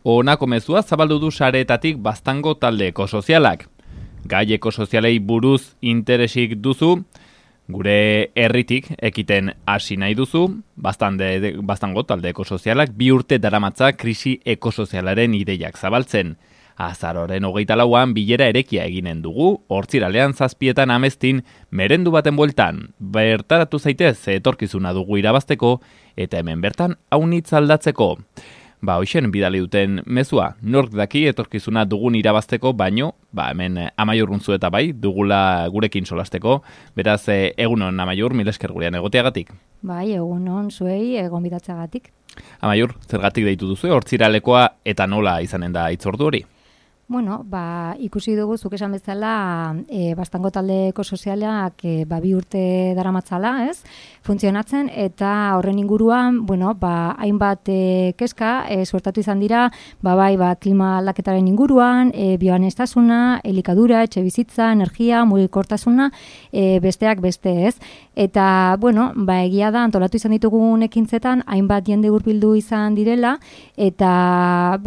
Honako mezua zabaldu du sareetatik Baztango talde ekosozialak. Gai ekosozialei buruz interesik duzu, gure herritik ekiten hasi nahi duzu, Baztango talde ekosozialak 2 urte daramatza krisi ekosozialaren ideiak zabaltzen. Azaroren 24an bilera erekia eginen dugu, Hortziralean 7etan Ameztin, merendu baten bueltan. Bertaratu zaitez, etorkizuna dugu irabazteko, eta hemen bertan aunitz aldatzeko. Hoxen bidali duten mezua, nork daki etorkizuna dugun irabazteko, baino, hemen Amaiur Runtzu eta bai, dugula gurekin solasteko, beraz, egunon Amaiur, mil esker gurean egoteagatik. Bai, egunon zuei, gonbidatzeagatik. Amaiur, zergatik deitu duzu, Hortziralekoa eta nola izanen da hitzordu hori? Bueno, ikusi dugu, zuk esan bezala, Baztango talde ekosozialak 2 urte daramatzala, ez? Funtzionatzen, eta horren inguruan, hainbat kezka suertatu izan dira, klima aldaketaren inguruan, bioaniztasuna, elikadura, etxebizitza, energia, mugikortasuna, besteak beste, ez? Eta, egia da, antolatu izan ditugun ekintzetan, hainbat jende hurbildu izan direla, eta,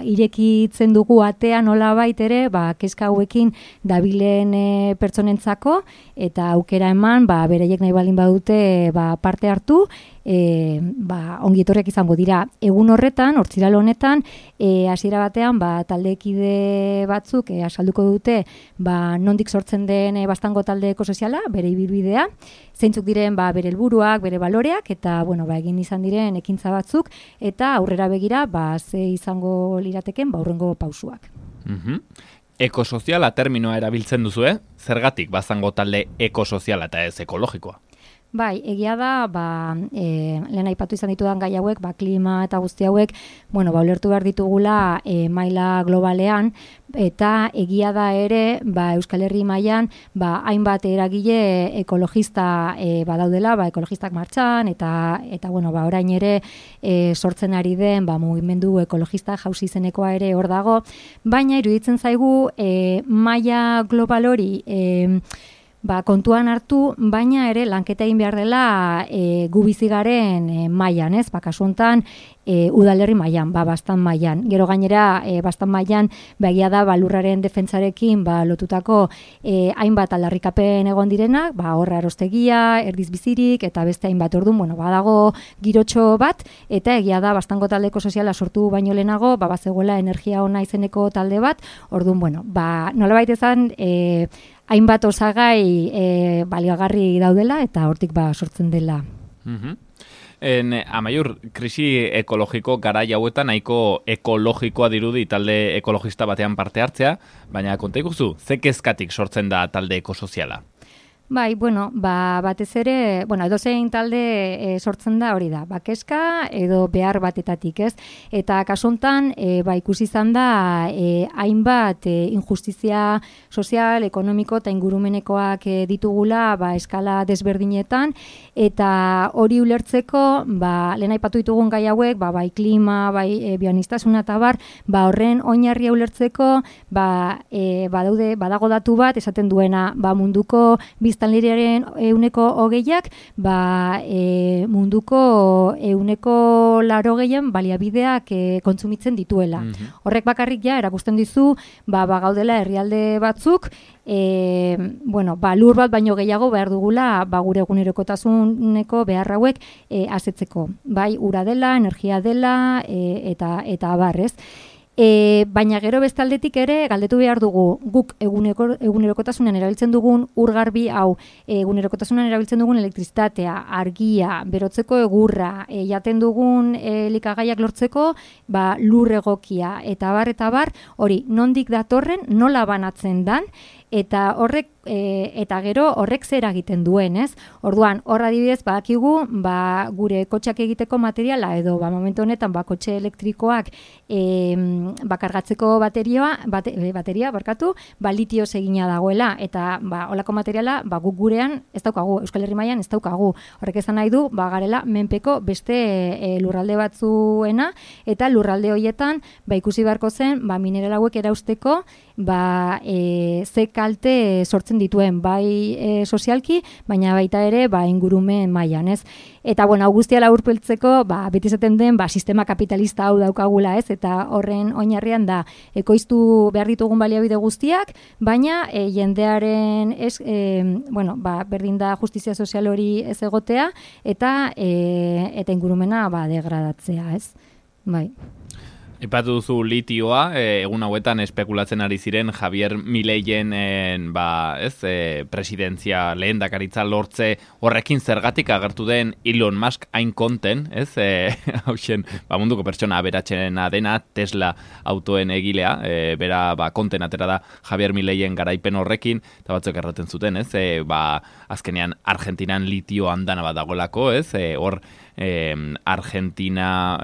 irekitzen dugu atea nola baitere, kezka hauekin dabilen pertsonentzako, eta aukera eman, bereiek nahi baldin badute parte hartu, ongietorriak izango dira. Egun horretan, Hortziral honetan, hasiera batean, taldekide batzuk asalduko dute, nondik sortzen den Baztango talde ekosoziala, bere ibilbidea, zeintzuk diren bere helburuak, bere baloreak, eta egin izan diren ekintza batzuk, eta aurrera begira, ze izango lirateken, hurrengo pausuak. Ekosoziala terminoa erabiltzen duzu, zergatik Baztango talde ekosoziala eta ez ekologikoa? Bai, egia da, lehen aipatu izan ditudan gai hauek, klima eta guzti hauek, ulertu behar ditugula maila globalean, eta egia da ere, Euskal Herri mailan, hainbat eragile ekologista badaudela, ekologistak martxan, eta orain ere sortzen ari den, mugimendu ekologista jauzi izenekoa ere hor dago, baina iruditzen zaigu maila global hori kontuan hartu, baina ere lanketa egin behar dela gu bizi garen mailan, ez? Kasu hontan udalerri mailan, Baztan mailan. Gero gainera Baztan mailan egia da lurraren defentsarekin lotutako hainbat aldarrikapen egon direnak, horra erostegia, erdiz bizirik eta beste hainbat. Orduan, badago girotxo bat, eta egia da Baztango talde ekosoziala sortu baino lehenago, bazegoela energia ona izeneko talde bat. Orduan, nolabait izan hainbat osagai baliagarri daudela eta hortik sortzen dela. Amaiur, krisi ekologiko garai hauetan nahiko ekologikoa dirudi talde ekologista batean parte hartzea, baina konta iguzu, ze kezkatik sortzen da talde ekosoziala? Bai, batez ere, edozein talde sortzen da hori da, kezka edo behar batetatik, ez? Eta kasu hontan, ikusi izan da hainbat injustizia sozial, ekonomiko eta ingurumenekoak ditugula eskala desberdinetan, eta hori ulertzeko, lehen aipatu ditugun gai hauek, klima, bioaniztasuna eta horren oinarria ulertzeko, badago datu bat, esaten duena, munduko biztanleriaren 20%, munduko 80% baliabideak kontsumitzen dituela. Horrek bakarrik erakusten dizu, gaudela herrialde batzuk, lur bat baino gehiago behar dugula gure egunerokotasuneko behar hauek asetzeko. Ura dela, energia dela, eta abarrez. Baina gero bestaldetik ere galdetu behar dugu, guk egunerokotasunean erabiltzen dugun urgarbi hau, egunerokotasunean erabiltzen dugun elektrizitatea, argia, berotzeko egurra, jaten dugun elikagaiak lortzeko, lur egokia, eta bar, hori nondik datorren, nola banatzen dan, eta horrek gero horrek zer egiten duen, ez? Orduan, hor adibidez badakigu, gure kotxeak egiteko materiala edo momentu honetan kotxe elektrikoak kargatzeko bateria, litioz egina dagoela, eta holako materiala guk gurean ez daukagu, Euskal Herri mailan ez daukagu. Horrek esan nahi du, garela menpeko beste lurralde batzuena, eta lurralde horietan ikusi beharko zen, mineral hauek erausteko, ze kalte sortzen dituen, bai sozialki, baina baita ere ingurumen mailan, ez? Eta bueno, hau guztia laburpiltzeko, beti esaten den, sistema kapitalista hau daukagula, ez? Eta horren oinarrian da ekoiztu behar ditugun baliabide guztiak, baina jendearen berdin da justizia sozial hori ez egotea eta ingurumena degradatzea, ez? Bai. Ipatu duzu litioa, egun hauetan espekulatzen ari ziren Javier Mileien presidentzia lehendakaritza lortze horrekin zergatik agertu den Elon Musk hain konten, ez? Hauxen, munduko pertsona aberatxena dena Tesla autoen egilea, bera konten atera da Javier Mileien garaipen horrekin, eta batzuk erraten zuten, ez? Azkenean Argentinan litio andana bat dagoelako, ez? Hor Argentina,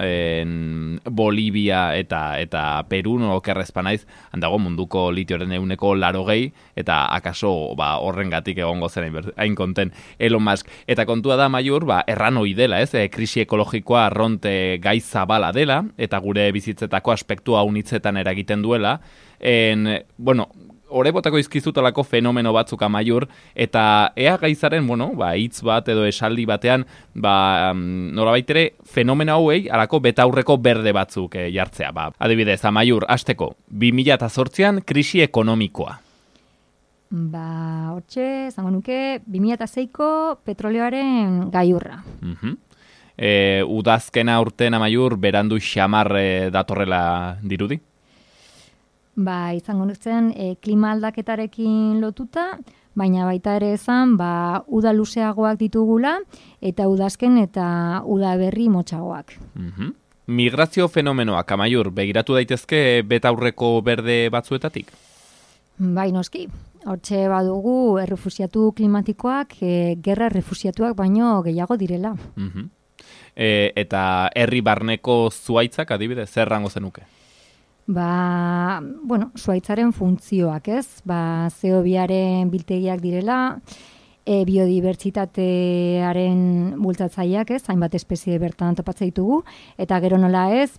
Bolivia eta Peru, okerrezpa naiz, handago munduko litioren 80% eta akaso horrengatik egongo zen hain konten Elon Musk. Eta kontua da, Maiur, erran ohi dela, ez? Krisi ekologikoa arronte gai zabala dela, eta gure bizitzetako aspektua unitzetan eragiten duela. Hore botako izkizutalako fenomeno batzuk Amaiur, eta ea gaizaren, hitz bat edo esaldi batean, nolabait ere, fenomeno hauei, alako betaurreko berde batzuk jartzea. Adibidez, Amaiur, hasteko, 2008an krisi ekonomikoa. Hortxe, zango nuke, 2006ko petroleoaren gaiurra. Udazkena urten, Amaiur, berandu xamar datorrela dirudi? Izango nutzen klima aldaketarekin lotuta, baina baita ere esan, uda luzeagoak ditugula, eta udazken eta uda berri motxagoak. Migrazio fenomenoak, Amaiur, begiratu daitezke betaurreko berde batzuetatik? Noski. Hortxe badugu errefusiatu klimatikoak, gerra errefusiatuak baino gehiago direla. Eta herri barneko zuaitzak, adibidez, zer rango zenuke? Zuaitzaren funtzioak, ez? CO2aren biltegiak direla, biodibertsitatearen bultzatzaileak, ez? Hainbat espezie bertan topatzen ditugu, eta gero nola ez,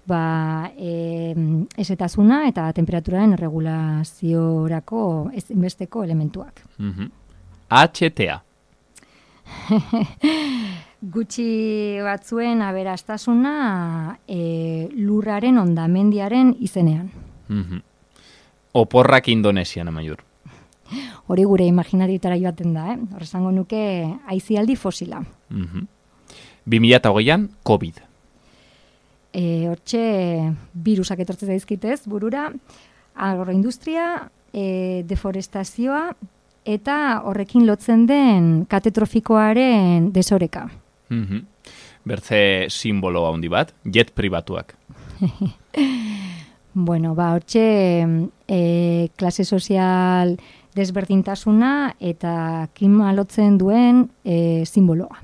ezetasuna eta temperaturaren erregulaziorako ezinbesteko elementuak. HTA. Gutxi batzuen aberastasuna lurraren ondamendiaren izenean. Oporrak Indonesian, Amaiur. Hori gure imaginarietara joaten da, Horrezango nuke aizialdi fosila. 2008an, COVID. Hortxe, virusak etortzen zaizkitez, burura, agroindustria, deforestazioa, eta horrekin lotzen den katetrofikoaren desoreka. Bertze simbolo handi bat, jet pribatuak. Hortxe klase sozial desberdintasuna eta klima lotzen duen simboloa.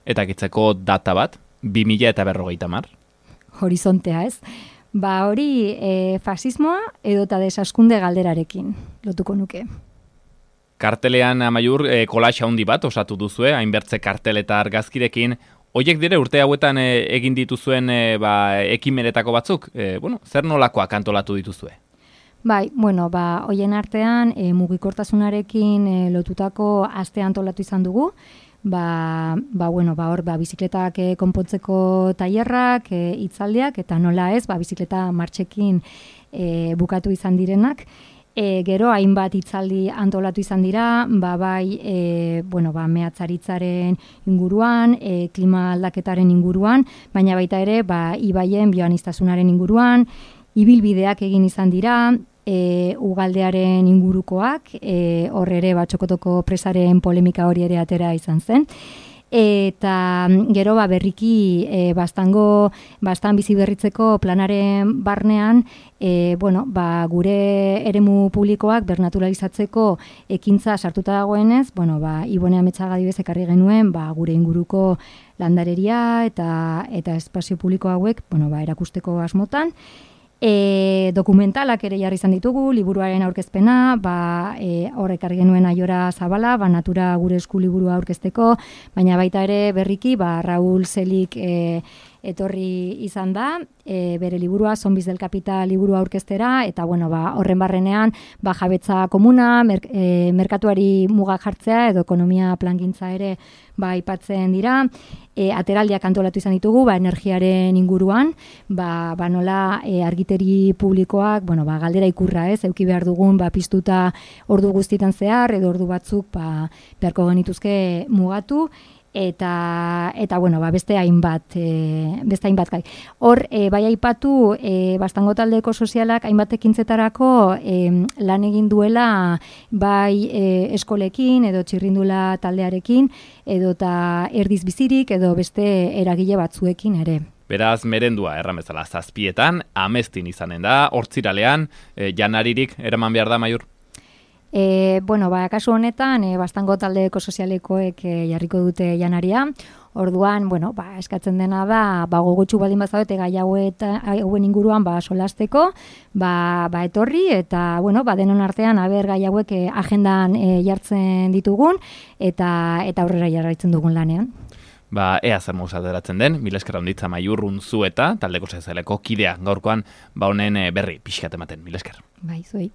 Eta kitzeko data bat, 2050. Horizontea, ez? Hori fasismoa edota desaskunde galderarekin lotuko nuke. Kartelean, Amaiur, kolaxa handi bat osatu duzue, hainbertze kartel eta argazkirekin. Hoiek dire urte hauetan egin dituzuen ekimenetako batzuk? Zer nolakoak antolatu dituzue? Hoien artean mugikortasunarekin lotutako aste antolatu izan dugu. Hor bizikletak konpontzeko tailerrak, hitzaldiak, eta nola ez, bizikleta martxekin bukatu izan direnak. Gero hainbat hitzaldi antolatu izan dira, mehatzaritzaren inguruan, klima aldaketaren inguruan, baina baita ere, ibaien bioaniztasunaren inguruan, ibilbideak egin izan dira, ugaldearen ingurukoak, hor ere txokotoko presaren polemika hori ere atera izan zen. Eta gero berriki bastan bizi berritzeko planaren barnean gure eremu publikoak bernaturalizatzeko ekintza sartuta dagoenez, Ibone Ametxaga adibidez ekarri genuen gure inguruko landareria eta espazio publiko hauek erakusteko asmotan. Dokumentalak ere jarri izan ditugu, liburuaren aurkezpena, horrek argi genuen Aiora Zabala, Natura gure esku liburua aurkezteko, baina baita ere berriki, Raul Zelik etorri izan da, bere liburua, Zombies del Capital liburua aurkeztera, eta horren barrenean jabetza komuna, merkatuari muga jartzea edo ekonomia plangintza ere aipatzen dira. Ateraldiak antolatu izan ditugu, energiaren inguruan, nola argiteri publikoak, galdera ikurra, eduki behar dugun, piztuta ordu guztietan zehar, edo ordu batzuk beharko genituzke mugatu, eta beste hainbat gai. Hor, bai aipatu, Bastango taldeko sozialak hainbat ekintzetarako lan egin duela bai eskolekin edo txirrindula taldearekin, edo eta erdiz bizirik edo beste eragile batzuekin ere. Beraz, merendua erramezala 7:00 amestin izanen da, hortziralean, janaririk eraman behar da, Maiur? Kasu honetan, Bastango taldeko sozialekoek jarriko dute janaria. Orduan, eskatzen dena da, gogotsu baldin bazaude gai hauen inguruan solasteko, etorri, eta, denon artean, gai hauek agendan jartzen ditugun, eta aurrera jarraitzen dugun lanean. Ea zer mouz ateratzen den, mila esker handitza Maiur Unzueta, taldeko sozialeko kidea gaurkoan, honen berri pixkat ematen, mila esker. Zuei.